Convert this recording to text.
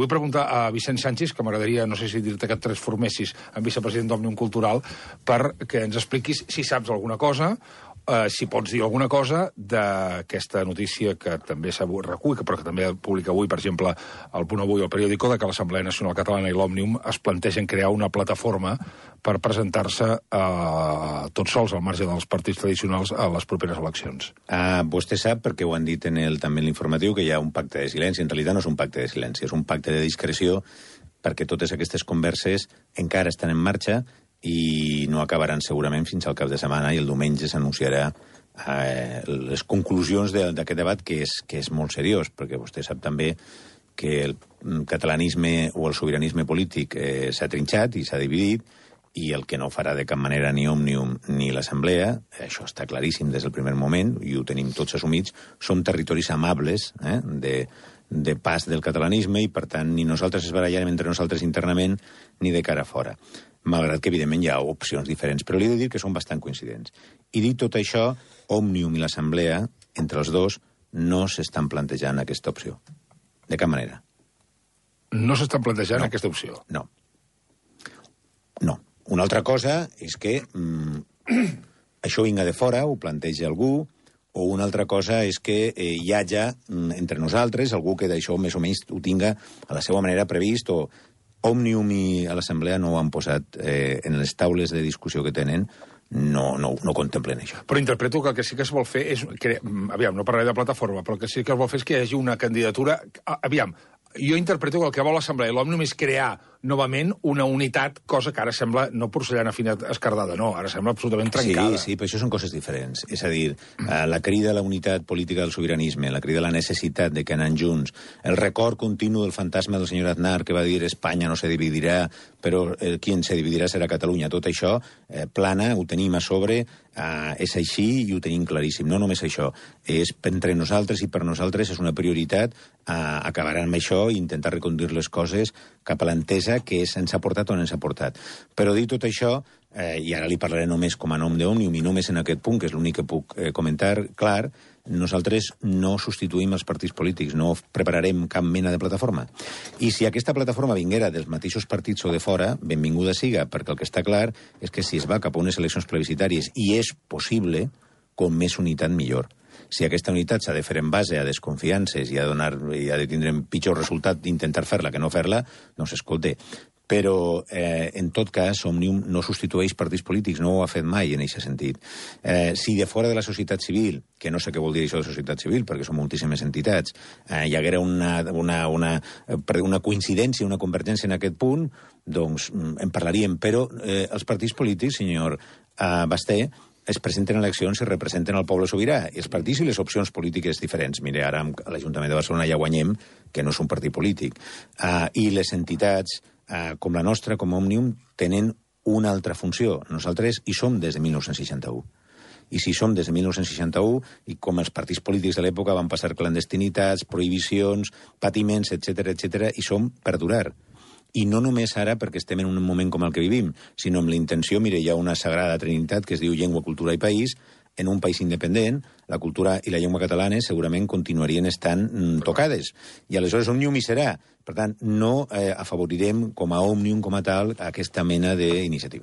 Vull preguntar a Vicent Sánchez, que m'agradaria, no sé si dir-te que et transformessis en vicepresident d'Òmnium Cultural, perquè ens expliquis si saps alguna cosa, si pots dir alguna cosa d'aquesta notícia que també recull, però que també publica avui, per exemple, el Punt Avui o el Periódico, de que l'Assemblea Nacional Catalana i l'Òmnium es plantegen crear una plataforma per presentar-se tots sols, al marge dels partits tradicionals, a les properes eleccions. Vostè sap, perquè ho han dit també en l'informatiu, que hi ha un pacte de silenci. En realitat no és un pacte de silenci, és un pacte de discreció, perquè totes aquestes converses encara estan en marxa i no acabaran segurament fins al cap de setmana, i el diumenge s'anunciarà les conclusions d'aquest debat, que és molt seriós, perquè vostè sap també que el catalanisme o el sobiranisme polític s'ha trinxat i s'ha dividit, i el que no farà de cap manera ni Òmnium ni l'Assemblea, això està claríssim des del primer moment, i ho tenim tots assumits, som territoris amables de pas del catalanisme, i per tant ni nosaltres es barallarem entre nosaltres internament ni de cara a fora. Malgrat que, evidentment, hi ha opcions diferents, però li he de dir que són bastant coincidents. I dit tot això, Òmnium i l'Assemblea, entre els dos, no s'estan plantejant aquesta opció. De cap manera. No s'estan plantejant aquesta opció? No. No. Una altra cosa és que això vinga de fora, ho planteja algú, o una altra cosa és que hi hagi entre nosaltres algú que d'això més o menys ho tinga a la seva manera previst, o Òmnium i l'Assemblea no ho han posat en les taules de discussió que tenen, no contemplen això. Però interpreto que el que sí que es vol fer és... Aviam, no parlaré de plataforma, però el que sí que es vol fer és que hi hagi una candidatura... Aviam, jo interpreto que el que vol l'Assemblea i l'Òmnium és crear novament una unitat, cosa que ara sembla no porcellana fina escardada, no, ara sembla absolutament trencada. Sí, però això són coses diferents. És a dir, la crida a la unitat política del sobiranisme, la crida a la necessitat de que anant junts, el record continu del fantasma del senyor Aznar que va dir Espanya no se dividirà, però qui se dividirà serà Catalunya. Tot això plana, ho tenim a sobre, és així i ho tenim claríssim. No només això, és entre nosaltres i per nosaltres és una prioritat acabar amb això i intentar reconduir les coses cap a l'entesa que ens ha portat on ens ha portat. Però dit tot això, i ara li parlaré només com a nom d'Òmnium i només en aquest punt, que és l'únic que puc comentar clar, nosaltres no substituïm els partits polítics, no prepararem cap mena de plataforma. I si aquesta plataforma vinguera dels mateixos partits o de fora, benvinguda siga, perquè el que està clar és que si es va cap a unes eleccions plebiscitàries, i és possible, com més unitat millor. Si aquesta unitat s'ha de fer en base a desconfiances i ha de tindre pitjor resultat d'intentar fer-la que no fer-la, doncs escolta. Però, en tot cas, Òmnium no substitueix partits polítics, no ho ha fet mai en aquest sentit. Si de fora de la societat civil, que no sé què vol dir això de societat civil, perquè són moltíssimes entitats, hi haguera una coincidència, una convergència en aquest punt, doncs en parlaríem. Però els partits polítics, senyor Basté, es presenten eleccions i representen el poble sobirà, i els partits i les opcions polítiques diferents. Mire, ara a l'Ajuntament de Barcelona ja guanyem, que no és un partit polític. I les entitats, com la nostra, com Òmnium, tenen una altra funció. Nosaltres hi som des de 1961. I si som des de 1961, i com els partits polítics de l'època van passar clandestinitats, prohibicions, patiments, etc., i som per durar. I no només ara perquè estem en un moment com el que vivim, sinó amb la intenció, mire, hi ha una sagrada trinitat que es diu llengua, cultura i país. En un país independent, la cultura i la llengua catalanes segurament continuarien estant tocades. I aleshores Òmnium hi serà. Per tant, no afavorirem com a Òmnium, com a tal, aquesta mena d'iniciativa.